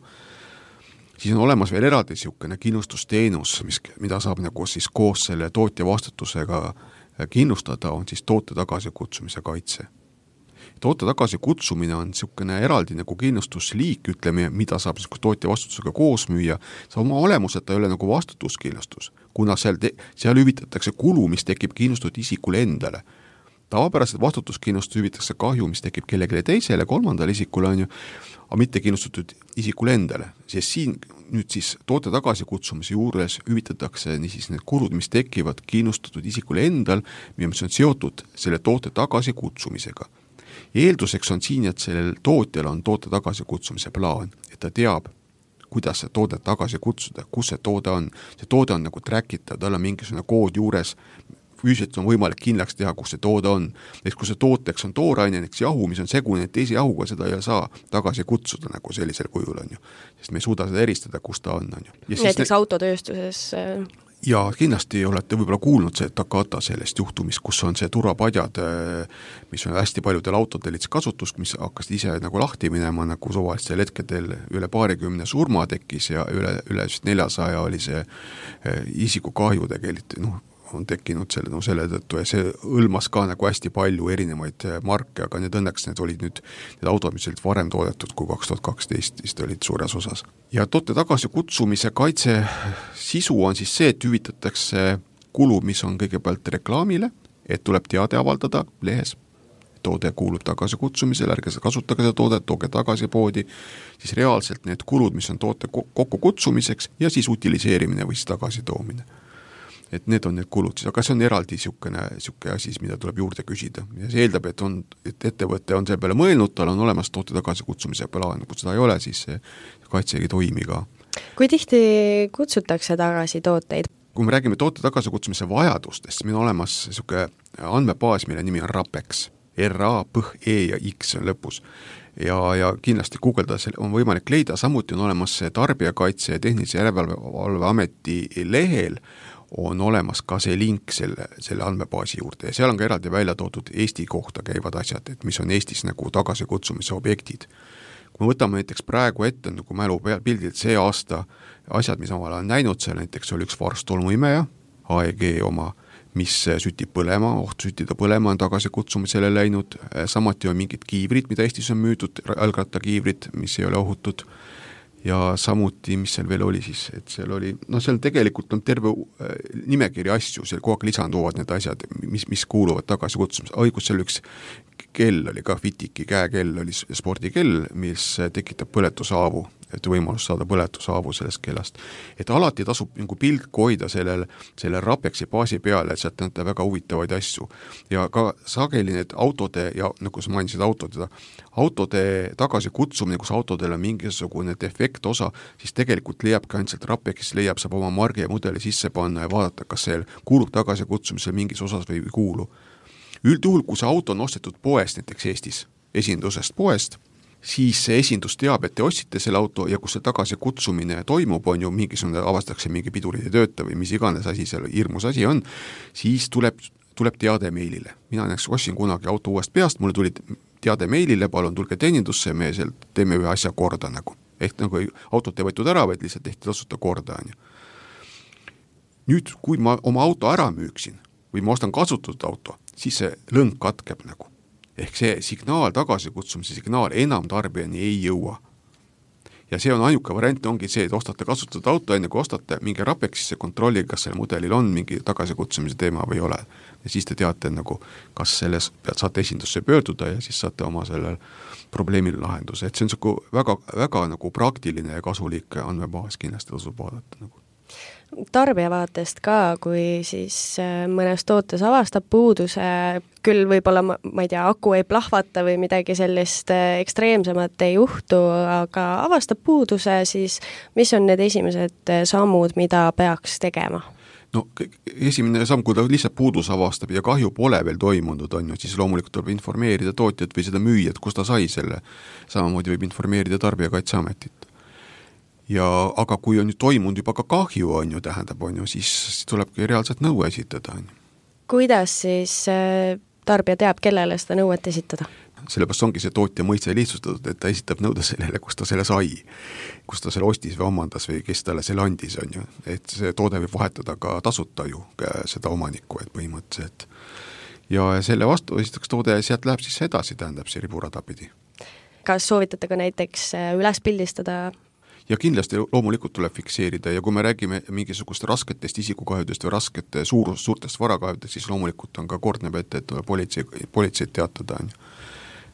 siis on olemas veel eraldi niisugune kindlustusteenus, mida saab nagu siis koos selle tootja vastutusega kindlustada, on siis toote tagasikutsumise kaitse. Toote tagasikutsumine on niisugune eraldi nagu kindlustusliik, ütleme, mida saab tootja vastutusega koos müüa. See oma olemuseta ei ole nagu vastutuskindlustus, kuna seal hüvitatakse kulu, mis tekib kindlustatud isikule endale. Tavapäraselt vastutuskindlustus hüvitatakse kahju, mis tekib kellelegi teisele, kolmandale isikule, on ju, aga mitte kindlustatud isikule endale. Sest siin nüüd siis toote tagasikutsumise juures hüvitatakse niisiis need kulud, mis tekivad kindlustatud isikule endal, mis on seotud selle toote tagasikutsumisega. Eelduseks on siin, et sellel tootjal on toote tagasikutsumise plaan, et ta teab, kuidas see toodet tagasi kutsuda, kus see toode on. See toode on nagu trackita, tal on mingisugune kood juures, füüsiliselt on võimalik kindlaks teha, kus see toode on. Kui see tooteks on tooraine, näiteks jahu, mis on segune, teise jahuga seda ei saa tagasi kutsuda nagu sellisel kujul, on ju. Sest me ei suuda seda eristada, kus ta on ju. Näiteks autotööstuses... Ja kindlasti olete võib-olla kuulnud see Takata sellest juhtumist, kus on see turvapadjad, mis on hästi paljudel autodel kasutus, mis hakkasid ise nagu lahti minema, nagu suvalistel hetkedel üle 20 surma tekkis ja üle 400 oli see isikukahju tegelikult, on tekkinud selle tõttu ja see hõlmas ka nagu hästi palju erinevaid marke, aga need õnneks need olid nüüd need autod, mis olid varem toodetud kui 2012, vist olid suures osas. Ja toote tagasikutsumise kaitse sisu on siis see, et hüvitatakse kulu, mis on kõigepealt reklaamile, et tuleb teade avaldada lehes, toode kuulub tagasikutsumisele, ärge kasutage seda toodet, tooge tagasi poodi, siis reaalselt need kulud, mis on toote kokkukutsumiseks ja siis utiliseerimine või siis tagasitoomine. Et need on need kulud, aga see on eraldi niisugune asi, mida tuleb juurde küsida. Ja see eeldab, et ettevõte on selle peale mõelnud, tal on olemas toote tagasikutsumise plaan, kui seda ei ole, siis see kaitse ei toimi ka. Kui tihti kutsutakse tagasi tooteid? Kui me räägime toote tagasikutsumise vajadustest, siis meil on olemas niisugune andmebaas, mille nimi on RAPEX. R-A-P-E ja X on lõpus. Ja kindlasti guugeldada on võimalik leida, samuti on olemas Tarbijakaitse ja Tehnilise Järelevalveameti lehel on olemas ka see link selle andmebaasi juurde ja seal on ka eraldi välja toodud Eesti kohta käivad asjad, et mis on Eestis nagu tagasikutsumise objektid. Kui me võtame näiteks praegu ette nagu mälu pildilt see aasta asjad, mis omal on näinud, seal näiteks oli üks varstolmuimeja, AEG oma, mis sütib põlema, süttida põlema on tagasikutsumisele läinud, samuti on mingid kiivrid, mida Eestis on müüdud, jalgrattakiivrid, mis ei ole ohutud, ja samuti, mis seal veel oli siis, et seal oli, seal tegelikult on terve nimekiri asju, seal kogu aeg lisanduvad need asjad, mis kuuluvad tagasikutsumise. Õigus seal üks kell oli ka Fitiki käekell, oli spordikell, mis tekitab põletusaavu, et võimalus saada põletusaavu sellest kellast. Et alati tasub nagu pilku hoida selle RAPEXi baasi peale, et sealt näete väga huvitavaid asju. Ja ka sageli need autode, ja nagu sa mainisid autode tagasikutsumine, kus autodel on mingisugune defekt osa, siis tegelikult leiab ka ainult RAPEXis, saab oma margi ja mudeli sisse panna ja vaadata, kas see kuulub tagasikutsumisse mingis osas või kuulu. Üldjuhul, kui see auto on ostetud poest, näiteks Eestis, esindusest poest, siis see esindus teab, et te ostsite selle auto ja kus see tagasi kutsumine toimub, on ju, mingisugune avastatakse mingi pidurid ei tööta või mis iganes asi seal hirmus asi on, siis tuleb teade meilile. Mina näiteks ostsin kunagi auto uuest peast, mulle tuli teade meilile, palun tulge teenindusse, me sealt teeme ühe asja korda nagu. Ehk nagu autot ei võetud ära, vaid lihtsalt tehti tasuta korda. On ju. Nüüd, kui ma oma auto ära müüksin või ma ostan kasutatud auto, siis see lõng katkeb nagu. Ehk see signaal, tagasikutsumise signaal enam tarbijani ei jõua. Ja see on ainuke variant, ongi see, et ostate kasutatud auto, enne kui ostate, mingi Rapeksisse kontrolli, kas selle mudelil on mingi tagasikutsumise teema või ei ole. Ja siis te teate, nagu, kas selles saate esindusse pöörduda ja siis saate oma sellel probleemil lahenduse. Et see on väga, väga nagu praktiline ja kasulik andmebaas, kindlasti tasub vaadata nagu. Tarbija vaatest ka, kui siis mõnes tootes avastab puuduse, küll võib-olla, ma ei tea, aku ei plahvata või midagi sellist ekstreemsemat ei juhtu, aga avastab puuduse, siis mis on need esimesed sammud, mida peaks tegema? No esimene samm, kui ta lihtsalt puudus avastab ja kahju pole veel toimunud, on ju, siis loomulikult tuleb informeerida tootjat või seda müüjat, kus ta sai selle. Samamoodi võib informeerida Tarbijakaitseametit. Aga kui on nüüd toimunud juba ka kahju, on ju, tähendab, on ju, siis tulebki reaalselt nõue esitada. On ju. Kuidas siis tarbija teab, kellele seda nõuet esitada? Sellepärast ongi see tootja mõiste lihtsustatud, et ta esitab nõude sellele, kus ta selle sai, kus ta selle ostis või omandas või kes talle selle andis, on ju. Et see toode võib vahetada ka tasuta ju seda omanikku, et põhimõtteliselt. Ja selle vastu esitaks toode ja sealt läheb siis edasi, tähendab see riburada pidi. Kas soovitate ka näiteks üles pildistada? Ja kindlasti loomulikult tuleb fikseerida ja kui me räägime mingisugust rasketest isikukahjudest või raskete suurtest varakahjudest, siis loomulikult on ka kord näeb ette, et politseid teatada. On.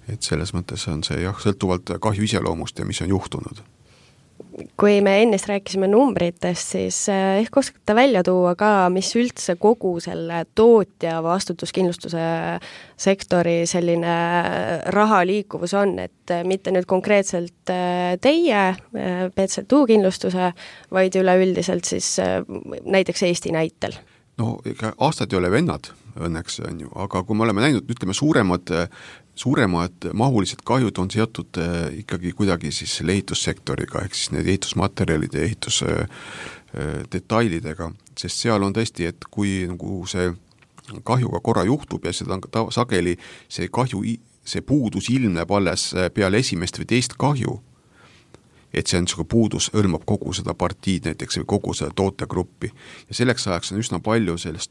Et selles mõttes on see sõltuvalt kahju iseloomust ja mis on juhtunud. Kui me ennist rääkisime numbritest, siis ehk oskate välja tuua ka, mis üldse kogu selle tootja vastutuskindlustuse sektori selline rahaliikuvus on, et mitte nüüd konkreetselt teie PCTU kindlustuse, vaid üleüldiselt siis näiteks Eesti näitel? No ega aastad ei ole vennad, õnneks on ju, aga kui me oleme näinud, ütleme suuremad mahulised kahjud on seotud ikkagi kuidagi siis selle ehitussektoriga, ehk siis need ehitusmaterjalide ja ehitusdetailidega, sest seal on tõesti, et kui nagu see kahjuga korra juhtub ja seda on sageli see puudus ilmneb alles peale esimest või teist kahju, et see on niisugune puudus, hõlmab kogu seda partiid näiteks või kogu seda tootegruppi. Ja selleks ajaks on üsna palju sellest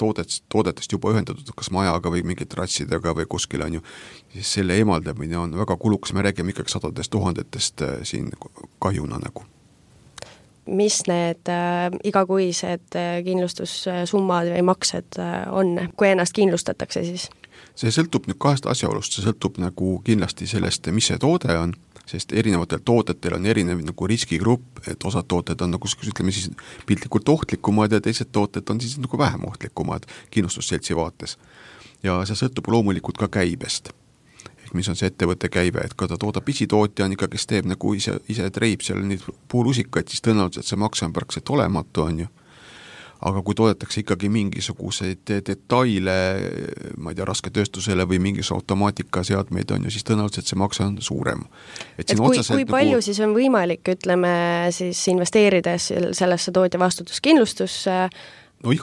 toodetest juba ühendatud kas majaga või mingite ratsidega või kuskil on ju. Siis selle eemaldamine on väga kulukas, me räägime ikkagi 100 000 siin kahjuna nagu. Mis need igakuised kindlustussummad või maksed on, kui ennast kindlustatakse siis? See sõltub nüüd kahest asjaolust, see sõltub nagu kindlasti sellest, mis see toode on, sest erinevatel toodetel on erinev nagu riskigrupp, et osad tooted on nagu, ütleme siis, piltlikult ohtlikumad ja teised tooted on siis nagu vähem ohtlikumad kindlustusseltsi vaates. Ja see sõltub loomulikult ka käibest. Ehk mis on see ettevõtte käibe, et kui ta toodab pisitootja on ikka, kes teeb nagu ise treib seal neid puulusikaid, siis tõenäoliselt see makse on praktiliselt olematu, on ju. Aga kui toodetakse ikkagi mingisuguseid detaile, ma ei tea, rasketööstusele või mingis automaatikaseadmeid on ju, siis tõenäoliselt see makse on suurem. Et kui palju siis on võimalik, ütleme, siis investeerides sellesse tootja vastutuskindlustusse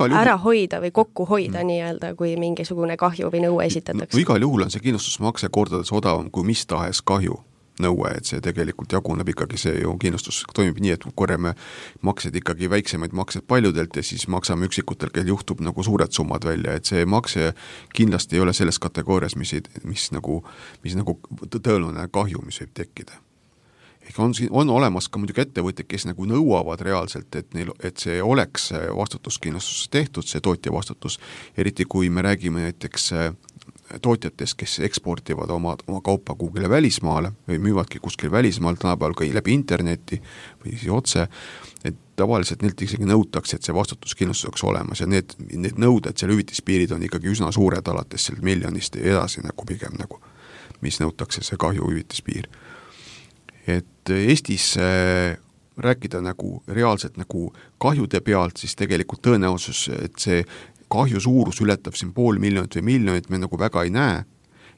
ära hoida või kokku hoida nii-öelda, kui mingisugune kahju või nõue esitatakse? No igal juhul on see kindlustusmakse kordades odavam kui mis tahes kahju nõue, et see tegelikult jaguneb ikkagi, see ju kindlustus toimib nii, et korjame maksed ikkagi väiksemaid maksed paljudelt ja siis maksame üksikutel, kel juhtub nagu suured summad välja, et see makse kindlasti ei ole selles kategoorias, mis nagu tõeline kahju, mis võib tekkida. On olemas ka muidugi ettevõtjad, kes nagu nõuavad reaalselt, et see oleks vastutuskindlustus tehtud, see tootja vastutus, eriti kui me räägime näiteks tootjatest, kes eksportivad oma kaupa kuhugile välismaale või müüvadki kuskil välismaal tänapäeval ka läbi interneti või siis otse, et tavaliselt neilt isegi nõutakse, et see vastutuskindlustus oleks olemas ja need nõuded, seal hüvitispiirid on ikkagi üsna suured alates seal miljonist ja edasi nagu pigem nagu, mis nõutakse see kahju hüvitispiir. Et Eestis rääkida nagu reaalselt nagu kahjude pealt, siis tegelikult tõenäosus, et see kahju suurus ületab siin 500 000 või miljonit, me nagu väga ei näe,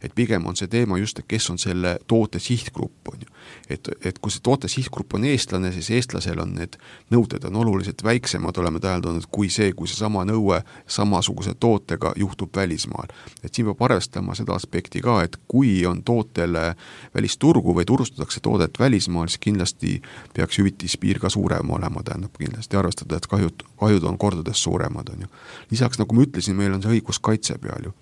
et pigem on see teema just, et kes on selle toote sihtgrupp, on ju. Et kui see toote sihtgrupp on eestlane, siis eestlasel on need nõuded on oluliselt väiksemad, oleme täheldanud, kui sama nõue samasuguse tootega juhtub välismaal. Et siin peab arvestama seda aspekti ka, et kui on tootele välisturgu või turustatakse toodet välismaal, siis kindlasti peaks hüvitispiir ka suurem olema, tähendab kindlasti arvestada, et kahjud on kordades suuremad, on ju. Lisaks, nagu ma ütlesin, meil on see õiguskaitse peal ju.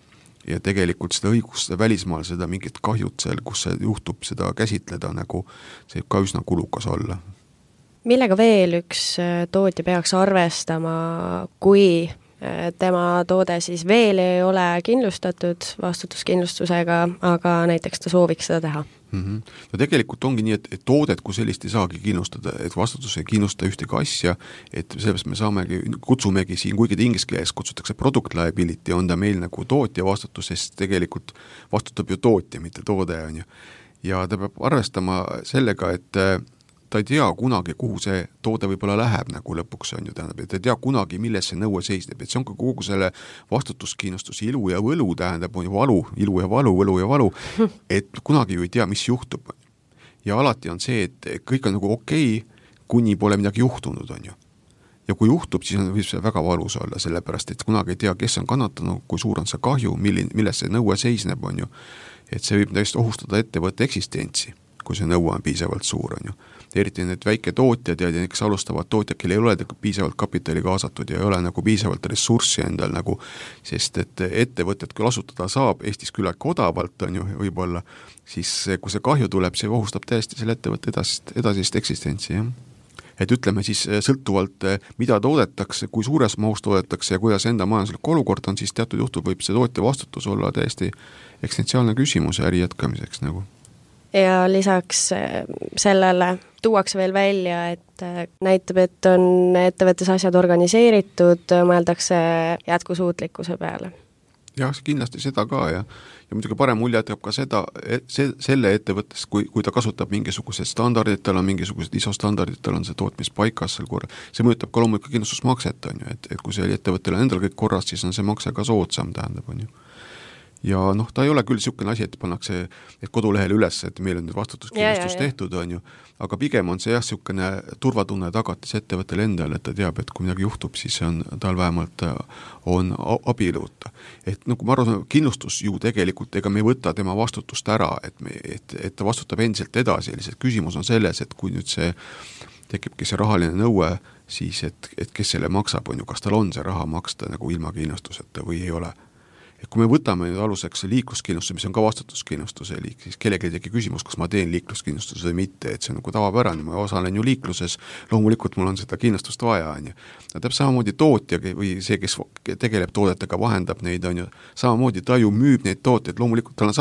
Ja tegelikult seda õigust välismaal, seda mingit kahjut seal, kus see juhtub seda käsitleda, nagu see ka üsna kulukas olla. Millega veel üks tootja peaks arvestama, kui tema toode siis veel ei ole kindlustatud vastutuskindlustusega, aga näiteks ta sooviks seda teha? No tegelikult ongi nii, et toodet kui sellist ei saagi kindlustada, et vastutus ei kindlusta ühtegi asja, et sellepärast me kutsumegi siin, kuigi inglise keeles kutsutakse product liability, on ta meil nagu tootja vastutus, sest tegelikult vastutab ju tootja, mitte toode on ju. Ja ta peab arvestama sellega, et ta ei tea kunagi, kuhu see toode võib-olla läheb nagu lõpuks on ju, tähendab, et ta ei tea kunagi, milles see nõue seisneb, et see on ka kogu selle vastutuskindlustus ilu ja võlu, tähendab, on ju valu, ilu ja valu, võlu ja valu, et kunagi ju ei tea, mis juhtub. Ja alati on see, et kõik on nagu okei, kuni pole midagi juhtunud, on ju. Ja kui juhtub, siis võib see väga valus olla, sellepärast, et kunagi ei tea, kes on kannatanud, kui suur on see kahju, milles see nõue seisneb, on ju. Et see võib täiesti ohustada ettevõtte eksistentsi, kui see nõue on piisavalt suur, on ju. Eriti need väike tootjad ja kes alustavad tootjad, kelle ei ole piisavalt kapitali kaasatud ja ei ole nagu piisavalt ressurssi endal nagu, sest et ettevõtted küll asutada saab Eestis küllalt odavalt, on ju, võib-olla, siis kui see kahju tuleb, see ohustab täiesti selle ettevõtte edasist eksistentsi, jah. Et ütleme siis sõltuvalt, mida toodetakse, kui suures mahus toodetakse ja kuidas enda majanduslik olukord on, siis teatud juhtul võib see tootja vastutus olla täiesti eksistentsiaalne küsimus äri jätkamiseks nagu. Ja lisaks sellele tuuakse veel välja, et näitab, et on ettevõttes asjad organiseeritud, mõeldakse jätkusuutlikkuse peale. Jah, kindlasti seda ka ja muidugi parem mulje jätab ka selle ettevõttes, kui ta kasutab mingisugused standardid, tal on mingisugused ISO standardid, tal on see tootmis paikas seal korra. See mõjutab ka loomulikult kindlustusmakset, on ju, et kui see ettevõttel on endal kõik korras, siis on see makse ka soodsam, tähendab, on ju. Ja noh, ta ei ole küll niisugune asi, et pannakse kodulehele üles, et meil on nüüd vastutuskindlustus tehtud, on ju, aga pigem on see jah, niisugune turvatunne tagatis ettevõttele endale, et ta teab, et kui midagi juhtub, siis on, tal vähemalt on abiluuta. Et nagu ma arvan, kindlustus ju tegelikult, ega me ei võta tema vastutust ära, et ta vastutab endiselt edasi, lihtsalt küsimus on selles, et kui nüüd see tekibki see rahaline nõue, siis et kes selle maksab, on ju, kas tal on see raha maksta nagu ilma kindlustuseta või ei ole. Et kui me võtame nüüd aluseks liikluskindlustuse, mis on ka vastutuskindlustuse liik, siis kellegi tegi küsimus, kas ma teen liikluskindlustuse või mitte, et see on nagu tavapärane, ma osalen ju liikluses, loomulikult mul on seda kindlustust vaja, on ju. Tähendab samamoodi tootja või see, kes tegeleb toodetega, vahendab neid, on ju, samamoodi ta ju müüb neid tooteid, loomulikult tal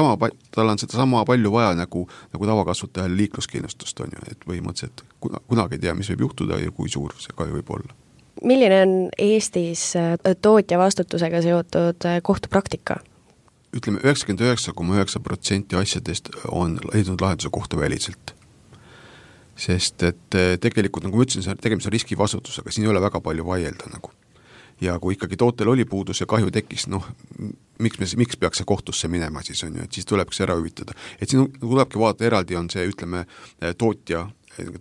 on seda sama palju vaja nagu tavakasutajal liikluskindlustust, on ju, et põhimõtteliselt kunagi ei tea, mis võib juhtuda ja kui suur see kahju võib olla. Milline on Eestis tootja vastutusega seotud kohtupraktika? Ütleme, 99,9% asjadest on leidnud lahenduse kohtuväliselt. Sest et tegelikult, nagu ma ütlesin, tegemist on riskivastutusega, siin ei ole väga palju vaielda nagu. Ja kui ikkagi tootel oli puudus ja kahju tekkis, noh, miks peaks see kohtusse minema siis on ju, et siis tulebki ära hüvitada. Et siin tulebki vaadata eraldi on see, ütleme, tootja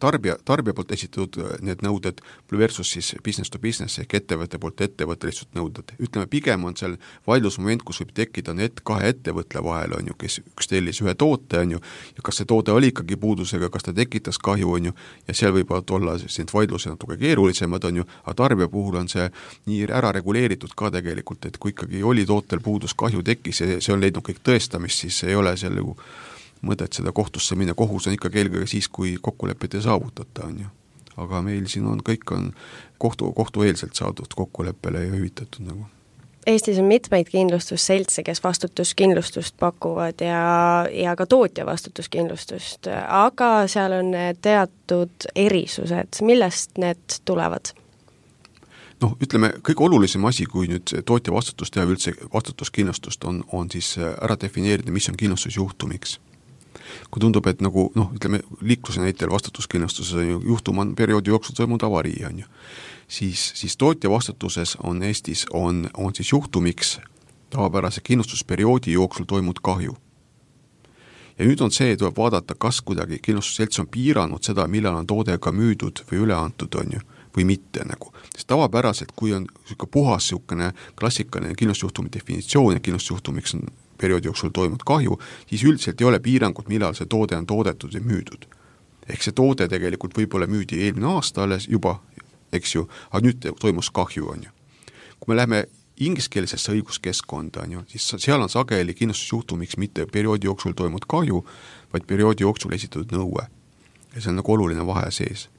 tarbija poolt esitatud need nõuded versus siis business to business ehk ettevõtte poolt ettevõttelistud nõuded. Ütleme, pigem on seal vaidlusmoment, kus võib tekkida need kahe ettevõtle vahel, on ju, kes üks tellis ühe toote, on ju, ja kas see toode oli ikkagi puudusega, kas ta tekitas kahju, on ju, ja seal võivad olla need vaidlused natuke keerulisemad, on ju, aga tarbija puhul on see nii ära reguleeritud ka tegelikult, et kui ikkagi oli tootel puudus, kahju tekkis ja see on leidnud kõik tõestamist, siis ei ole seal ju mõtet seda kohtusse minna, kohus on ikkagi eelkõige siis, kui kokkulepet ei saavutata, on ju. Aga meil siin on kõik on kohtueelselt saadud kokkuleppele ja hüvitatud nagu. Eestis on mitmeid kindlustusseltse, kes vastutuskindlustust pakuvad ja ka tootja vastutuskindlustust, aga seal on teatud erisused, millest need tulevad? Noh, ütleme, kõige olulisem asi, kui nüüd tootja vastutust ja üldse vastutuskindlustust on siis ära defineerida, mis on kindlustusjuhtumiks. Kui tundub, et nagu, noh, ütleme, liikluse näitel vastutuskindlustuses on ju juhtum on perioodi jooksul toimunud avarii, on ju. Siis tootja vastutuses on Eestis on siis juhtumiks tavapärase kindlustusperioodi jooksul toimunud kahju. Ja nüüd on see, tuleb vaadata, kas kuidagi kindlustusselts on piiranud seda, millal on toode ka müüdud või üle antud, on ju, või mitte nagu. Sest tavapäraselt, kui on puhas klassikaline kindlustusjuhtumi definitsioon ja kindlustusjuhtumiks on perioodi jooksul toimunud kahju, siis üldiselt ei ole piirangut, millal see toode on toodetud ja müüdud. Ehk see toode tegelikult võib-olla müüdi eelmine aasta alles juba, eks ju, aga nüüd toimus kahju, on ju. Kui me läheme ingliskeelsesse õiguskeskkonda, on ju, siis seal on sageli kindlustusjuhtumiks mitte perioodi jooksul toimunud kahju, vaid perioodi jooksul esitatud nõue. Ja see on nagu oluline vahe sees.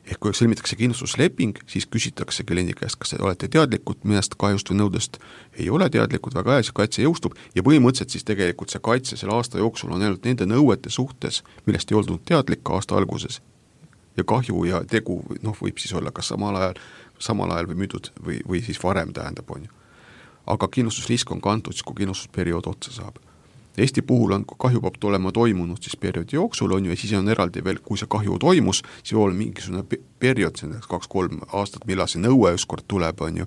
Ehk kui sõlmitakse kindlustusleping, siis küsitakse kliendi käest, kas te olete teadlikud mõnest kahjust või nõudest, ei ole teadlikud, väga hea, see kaitse jõustub ja põhimõtteliselt siis tegelikult see kaitse selle aasta jooksul on ainult nende nõuete suhtes, millest ei olnud teadlik aasta alguses. Ja kahju ja tegu võib siis olla kas samal ajal või müüdud või siis varem tähendab, on ju. Aga kindlustusrisk on kantud, kui kindlustusperiood otsa saab. Eesti puhul on kahju peab olema toimunud siis perioodi jooksul, on ju, ja siis on eraldi veel, kui see kahju toimus, siis on mingisugune periood, see on 2-3 aastat, millal see nõue ükskord tuleb, on ju,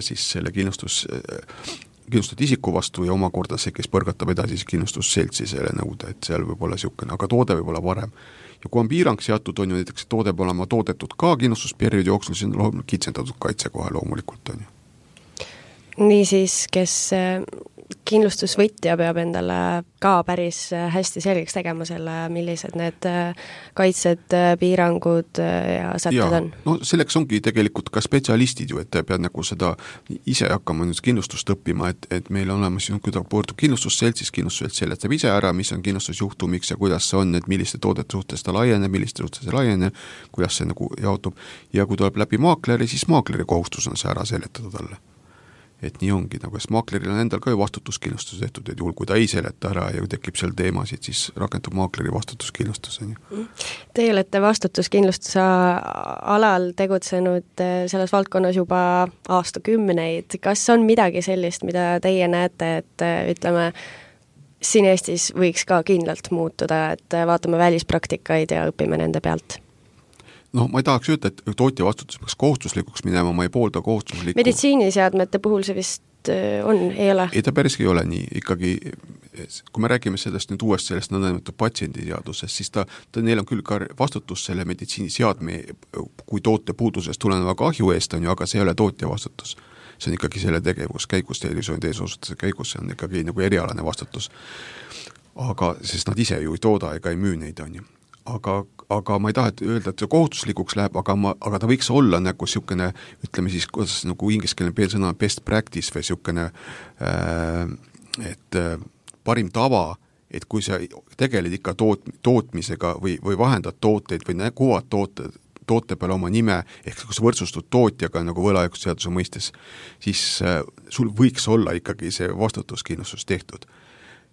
siis selle kindlustatud isiku vastu ja omakorda see, kes põrgatab edasi siis kindlustusseltsi selle nõude, et seal võib olla niisugune, aga toode võib olla varem. Ja kui on piirang seatud, on ju näiteks toode peab olema toodetud ka kindlustusperioodi jooksul, siis on kitsendatud kaitse kohe loomulikult, on ju. Niisiis, kes kindlustusvõtja peab endale ka päris hästi selgeks tegema selle, millised need kaitsed, piirangud ja sätted on? No selleks ongi tegelikult ka spetsialistid ju, et pead nagu seda ise hakkama nüüd kindlustust õppima, et meil on olemas, kui ta pöördub kindlustusseltsis, kindlustusselts seletab ise ära, mis on kindlustusjuhtumiks ja kuidas see on, et milliste toodete suhtes ta laieneb, milliste suhtes ei laiene, kuidas see nagu jaotub ja kui tuleb läbi maakleri, siis maakleri kohustus on see ära seletada talle. Et nii ongi, nagu et maakleril on endal ka ju vastutuskindlustus tehtud, et juhul kui ta ei seleta ära ja tekib seal teemasid, siis rakendub maakleri vastutuskindlustus. Teie olete vastutuskindlustuse alal tegutsenud selles valdkonnas juba aastakümneid. Kas on midagi sellist, mida teie näete, et ütleme, siin Eestis võiks ka kindlalt muutuda, et vaatame välispraktikaid ja õpime nende pealt? Ma ei tahaks öelda, et tootja vastutus peaks kohustuslikuks minema, ma ei poolda kohustuslikku. Meditsiiniseadmete puhul see vist on, ei ole? Ei, ta päriski ei ole nii. Ikkagi, kui me räägime sellest nüüd uuest sellest nõndanimetatud patsiendiseadusest, siis neil on küll ka vastutus selle meditsiiniseadme, kui toote puudusest tuleneva kahju eest on ju, aga see ei ole tootja vastutus. See on ikkagi selle tegevus käigus, tervishoiuteenuse käigus, see on ikkagi nagu erialane vastutus. Aga, sest nad ise ju ei tooda ega ei müü neid, on ju. Aga ma ei taha öelda, et see kohustuslikuks läheb, aga ta võiks olla nagu siukene, ütleme siis, kuidas nagu ingliskeelne sõna best practice või siukene, et parim tava, et kui sa tegeled ikka tootmisega või vahendad tooteid või kuvad toote peale oma nime, ehk kui sa võrdsustud tootjaga nagu võlaõigusseaduse mõistes, siis sul võiks olla ikkagi see vastutuskindlustus tehtud.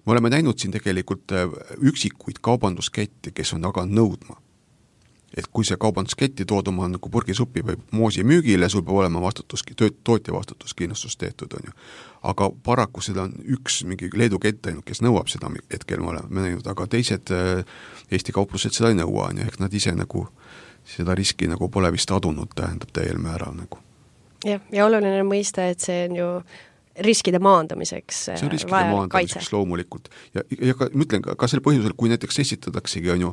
Me oleme näinud siin tegelikult üksikuid kaubanduskette, kes on aga nõudma. Et kui see kaubandusketti tood oma nagu purgisuppi või moosi müügile, sul peab olema tootja vastutuskindlustus tehtud, on ju. Aga paraku seda on üks mingi Leedu kett ainult, kes nõuab seda hetkel me oleme näinud, aga teised Eesti kauplused seda ei nõua, on ju, ehk nad ise nagu seda riski nagu pole vist adunud, tähendab täiel määral nagu. Ja oluline mõista, et see on ju riskide maandamiseks see on riskide maandamiseks loomulikult ja ka, ma ütlen ka selle põhjusel, kui näiteks esitadaksegi on ju,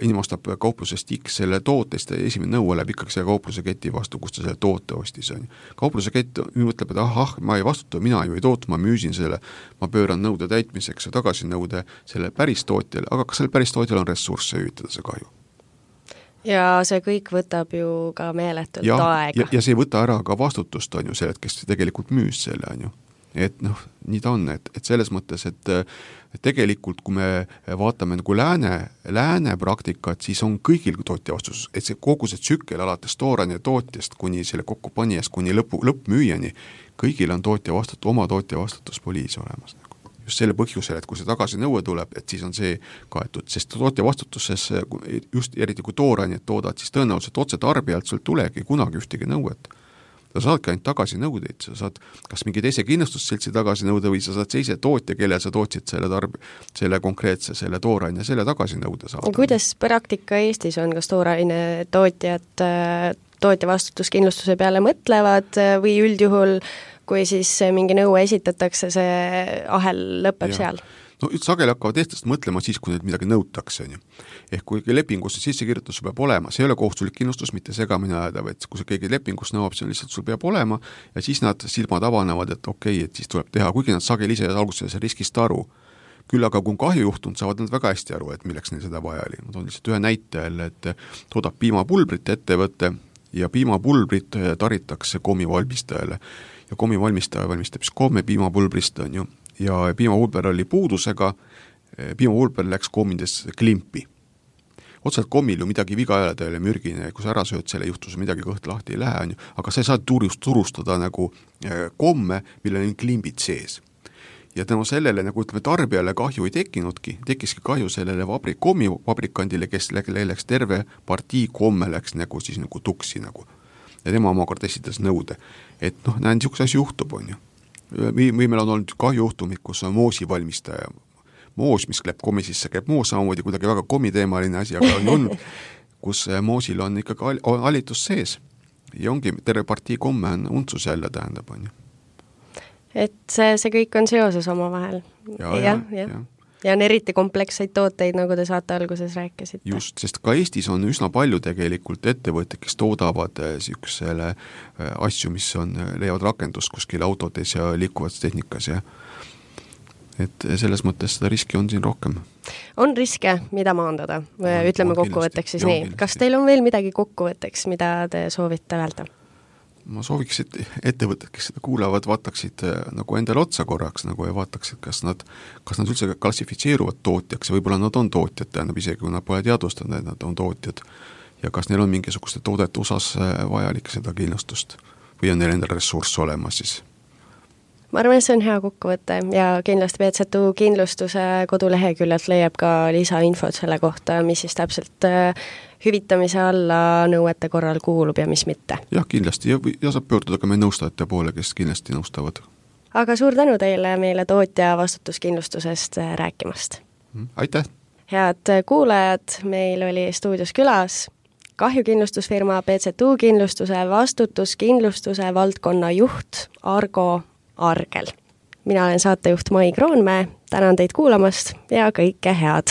inimene ostab kauplusest X selle tootest ja esimene nõue läheb ikkagi selle kaupluse keti vastu, kus ta selle toote ostis on ju. Kaupluse kett mõtleb, et ma ei vastuta, mina ju ei tootu, ma müüsin selle, ma pööran nõude täitmiseks ja tagasi nõude selle päris tootjale, aga kas selle päris tootjale on ressursse hüvitada see kahju? Ja see kõik võtab ju ka meeletult aega. Ja see ei võta ära ka vastutust, on ju, sellelt, kes tegelikult müüs selle, on ju. Et nii ta on, et selles mõttes, et tegelikult kui me vaatame nagu lääne praktikat, siis on kõigil tootja vastus, et see kogu see tsükkel alates toorani tootjast kuni selle kokkupanijast kuni lõppmüüjani, kõigil on oma tootja vastutuspoliis olemas. Just selle põhjusel, et kui see tagasi nõue tuleb, et siis on see kaetud, sest tootja vastutuses just eriti kui toorained toodad, siis tõenäoliselt otse tarbijalt sul tulegi kunagi ühtegi nõuet. Sa saadki ainult tagasi nõudeid, sa saad kas mingi teise kindlustusseltsi tagasi nõude või sa saad seise tootja, kelle sa tootsid selle konkreetse, selle tooraine, selle tagasi nõude saada. Kuidas praktika Eestis on, kas tooraine tootjad tootja vastutuskindlustuse peale mõtlevad või üldjuhul kui siis mingi nõue esitatakse, see ahel lõpeb seal? no sageli hakkavad eestlased mõtlema siis, kui neid midagi nõutakse, on ju. Ehk kui lepingusse sissekirjutus peab olema, see ei ole kohustuslik kindlustus, mitte segamini ajada, et kui see keegi lepingus nõuab, see on lihtsalt, sul peab olema ja siis nad silmad avanevad, et okei, et siis tuleb teha, kuigi nad sageli ise alguses riskist aru. Küll aga kui on kahju juhtunud, saavad nad väga hästi aru, et milleks neil seda vaja oli. Ma toon lihtsalt ühe näite jälle, et toodab piimapulbrit ettevõtte ja piimapulbrit taritakse kommivalmistajale ja kommivalmistaja valmistab siis komme piimapulbrist, on ju. Ja piimapulber oli puudusega, piimapulber läks kommides klimpi. Otseselt kommil ju midagi viga ei ole, ta ei ole mürgine, kui sa ära sööd, selle juhtus midagi kõht lahti ei lähe, on ju, aga sa ei saa turustada nagu komme, millel on klimbid sees. Ja tänu sellele, nagu ütleme, tarbijale kahju ei tekkinudki, tekkiski kahju sellele kommivabrikandile, kes läks terve partii komme läks nagu siis nagu tuksi nagu. Ja tema omakord esitas nõude, et noh, näen, niisuguse asi juhtub, on ju. Või meil on olnud kahjuhtumid, kus on moosi valmistaja. Moos, mis käib kommi sisse, käib moos samamoodi kuidagi väga kommiteemaline asi, aga on olnud, kus moosil on ikkagi alitus sees. Ja ongi terve partii komme on untsus jälle tähendab, on ju. Et see kõik on seoses oma vahel. Ja. Ja on eriti kompleksseid tooteid, nagu te saate alguses rääkisite. Just, sest ka Eestis on üsna palju tegelikult ettevõtted, kes toodavad siuksele asju, mis on, leiavad rakendust kuskil autodes ja liikuvats tehnikas ja et selles mõttes seda riski on siin rohkem. On riske, mida maandada, ütleme kokkuvõtteks siis nii. Kas teil on veel midagi kokkuvõtteks, mida te soovite öelda? Ma sooviks, et ettevõtted, kes seda kuulavad, vaataksid nagu endale otsa korraks nagu ja vaataksid, kas nad üldse klassifitseeruvad tootjaks ja võib-olla nad on tootjad, tähendab isegi, kui nad pole teadvustanud, et nad on tootjad ja kas neil on mingisuguste toodete osas vajalik seda kindlustust või on neil endal ressurss olemas siis. Ma arvan, et see on hea kokkuvõte ja kindlasti PZU kindlustuse koduleheküljelt leiab ka lisainfot selle kohta, mis siis täpselt hüvitamise alla nõuete korral kuulub ja mis mitte. Jah, kindlasti ja saab pöörduda ka meie nõustajate poole, kes kindlasti nõustavad. Aga suur tänu teile meile tootja vastutuskindlustusest rääkimast. Aitäh! Head kuulajad, meil oli stuudios külas kahjukindlustusfirma PZU kindlustuse vastutuskindlustuse valdkonna juht Argo Argel. Mina olen saatejuht Mai Kroonmäe, tänan teid kuulamast ja kõike head!